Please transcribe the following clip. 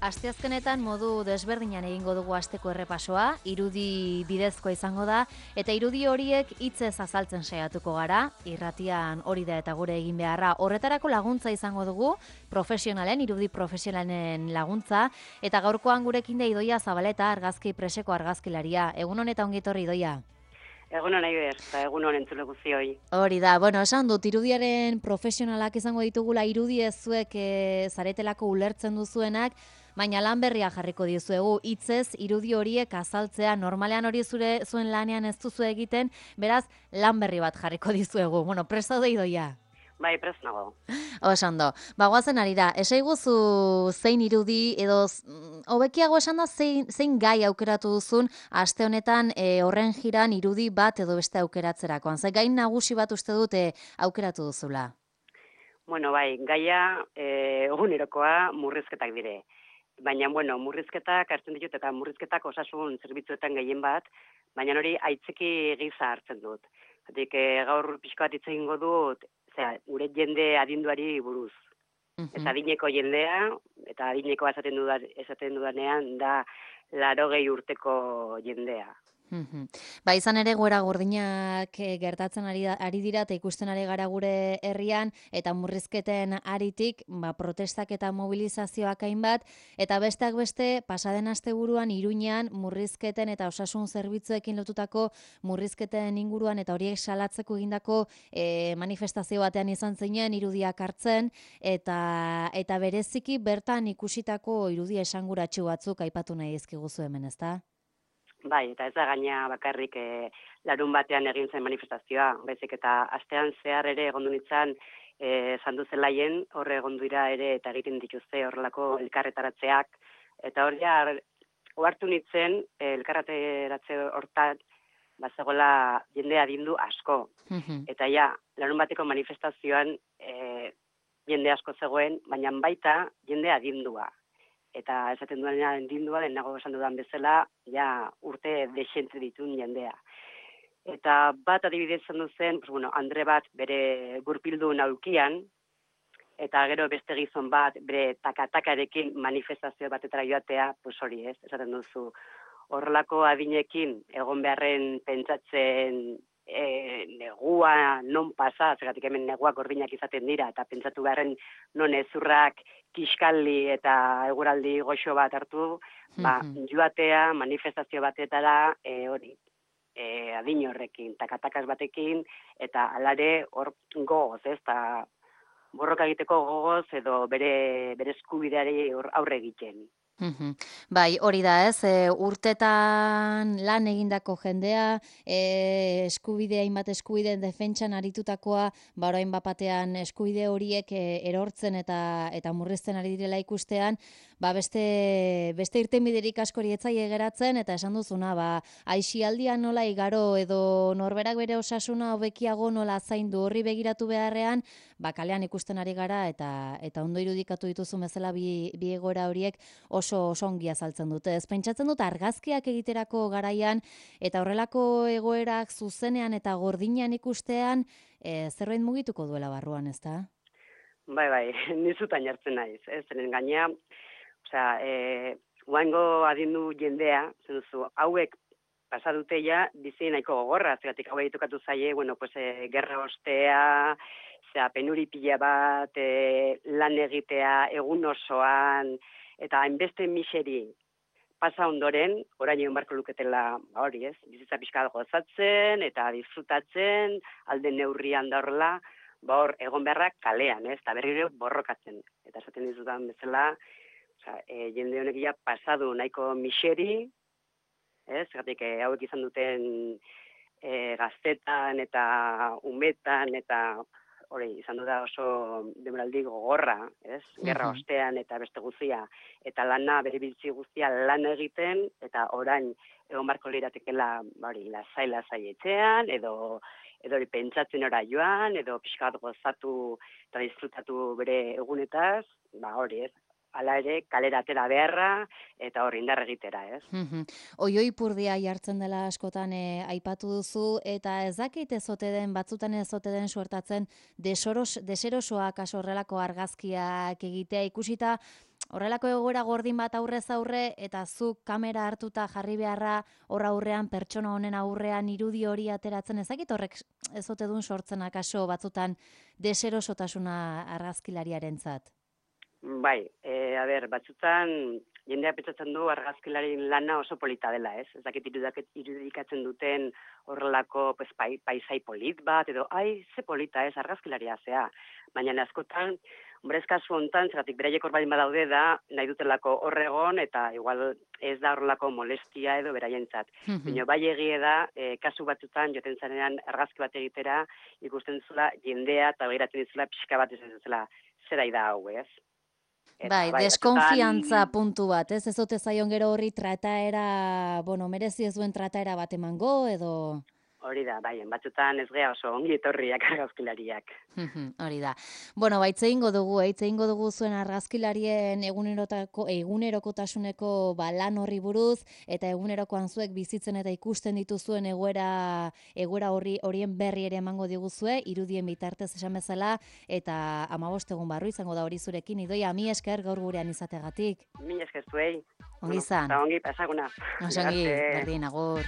Asteazkenetan modu desberdinan egingo dugu asteko errepasoa, irudi bidezkoa izango da, eta irudi horiek hitzez azaltzen saiatuko gara, irratian hori da eta gure egin beharra. Horretarako laguntza izango dugu, irudi profesionalen laguntza, eta gaurkoan gurekin da Idoia Zabaleta, argazki preseko argazkilaria. Egun honetan ongi etorri, Idoia. Egun hona Iber, eta egun honen entzule guztioi. Hori da, esan dut, irudiaren profesionalak izango ditugula, irudi ez zuek zaretelako ulertzen duzuenak, baina lan berria jarriko dizuegu, hitzez irudi horiek azaltzea, normalean hori zuen lanean ez duzu egiten, beraz, lan berri bat jarriko dizuegu. Prest daude, Idoia? Bai, prest nago. Ondo, goazen ari da, esaiguzu zein irudi edo hobekiago esan da zein gai aukeratu duzun aste honetan horren jiran irudi bat edo beste aukeratzerakoan. Ze gain nagusi bat uste dute aukeratu duzula? Bueno, bai, gaia egunerokoa murrizketak dire. Baina, murrizketak hartzen ditut eta murrizketak osasun zerbitzuetan gehien bat, baina hori aitzeki giza hartzen dut. Hatik, gaur pixko bat hitz egingo dut, gure jende adinduari buruz. Ez adineko jendea, eta adineko esaten dudanean da 80 urteko jendea. Izan ere goera gordinak gertatzen ari dira eta ikusten ari gara gure herrian eta murrizketen aritik protestak eta mobilizazioak hainbat eta besteak beste pasaden asteburuan Iruñean murrizketen eta osasun zerbitzuekin lotutako murrizketen inguruan eta horiek salatzeko egindako manifestazio batean izan zeinen irudiak hartzen eta bereziki bertan ikusitako irudi esanguratsu batzuk aipatu nahi dizkiguzu hemen, ezta? Bai, eta ez da gaina bakarrik larun batean egin zen manifestazioa, baizik eta astean zehar ere egondu nintzen zandu zelaien, horre egondu dira ere eta egiten dituzte horrelako elkarretaratzeak, eta hori ohartu nintzen elkarretaratze hortan bazegoela jende adindu asko. Eta larun bateko manifestazioan jende asko zegoen, baina baita jende adindua. Eta esaten duanean adindua, lehenago esan dudan bezala, urte desente ditun jendea. Eta bat adibidez zendu zen, Andre bat bere gurpildu naukian, eta gero beste gizon bat bere takatakarekin manifestazio batetara joatea, hori ez, esaten duzu. Horrelako adinekin egon beharren pentsatzen negua non pasa, zeratik hemen neguak gordinak izaten dira, eta pentsatu beharren non ezurrak kiskalli eta eguraldi goxo bat hartu, joatea manifestazio batetara adin horrekin, takatakas batekin, eta alare hor gogoz, ez, eta borroka egiteko gogoz edo bere eskubideari aurre egiten. Bai, hori da ez, urtetan lan egindako jendea, eskubidea, hainbat eskubideen defentsan aritutakoa, orain bapatean eskubide horiek erortzen eta murrizten ari direla ikustean, beste irtenbiderik askori etzaile geratzen, eta esan duzuna, aisialdian nola igaro edo norberak bere osasuna hobekiago nola zaindu horri begiratu beharrean, kalean ikusten ari gara eta ondo irudikatu dituzu bezala bi egoera horiek oso ongi azaltzen dute. Ez pentsatzen dut argazkiak egiterako garaian eta horrelako egoerak zuzenean eta gordinean ikustean zerbait mugituko duela barruan, ezta? Bai, nizutan jartzen naiz, ez, zeren gaina, guaingo adindu jendea, zenuzu, hauek pasadute bizi nahiko gogorra, zeratik hauek tokatu zaie, gerra ostea, penuri pila bat, lan egitea, egun osoan, eta hainbeste miseri pasa ondoren, orain egon barko luketela, hori ez, bizitza pixka gozatzen, eta disfrutatzen, alde neurrian da horrela, hor egon beharrak kalean, ez, eta berriro borrokatzen. Eta esaten dizudan bezala, jende honek pasadu nahiko miseri, ez, gatik hauek izan duten gaztetan eta umetan, eta hori, izan du da oso demoraldi gogorra, ez? Gerra ostean eta beste guztia. Eta lana, bere biltzi guztia lan egiten, eta orain egon barko liratekela, lasai etxean, edo hori pentsatzen ora joan, edo pixkat gozatu eta disfrutatu bere egunetaz, hori ez. Hala ere, kalera atera beharra, eta hori indar egitera, ez? Oioi purdia jartzen dela askotan aipatu duzu, eta ez dakit ezote den, batzutan ezote den suertatzen deserosoak horrelako argazkiak egitea ikusita, horrelako egoera gordin bat aurrez aurre, eta zuk kamera hartuta jarri beharra hor aurrean, pertsona honen aurrean irudi hori ateratzen, ezakit horrek ez ote dun sortzen akaso batzutan deserosotasuna argazkilariarentzat. Bai, batzutan jendea pentsatzen du argazkilarien lana oso polita dela, ez? Ez dakit irudikatzen duten horrelako pues, paisai polit bat, edo, ze polita ez, argazkilaria zea. Baina askotan, hombre, ez kasu hontan, zeratik beraiek hor baldin badaude da, nahi dutelako horregon, eta igual ez da horrelako molestia edo beraientzat. Baina bai egie da, kasu batzutan, joten zarenean argazki bat egitera, ikusten zula jendea, eta behiratzen dizula pixka bat ez zela, zera da hau, ez? Bai, deskonfiantza puntu bat, ez? Ez ote zaion gero horri trataera, merezi ez duen trataera bat emango, edo... Hori da, batzutan ez gea oso ongi etorriak argazkilariak. Hori da. Itze ingo dugu zuen argazkilarien egunerokotasuneko lan horri buruz, eta egunerokoan zuek bizitzen eta ikusten dituzuen egoera horien berri ere emango diguzue, irudien bitartez esan bezala, eta 15 egun barru izango da hori zurekin. Idoia, mi esker gaur gurean izategatik. Mi esker zuei. Ongi izan. Ongi, pasaguna. Ongi, berdin, agur.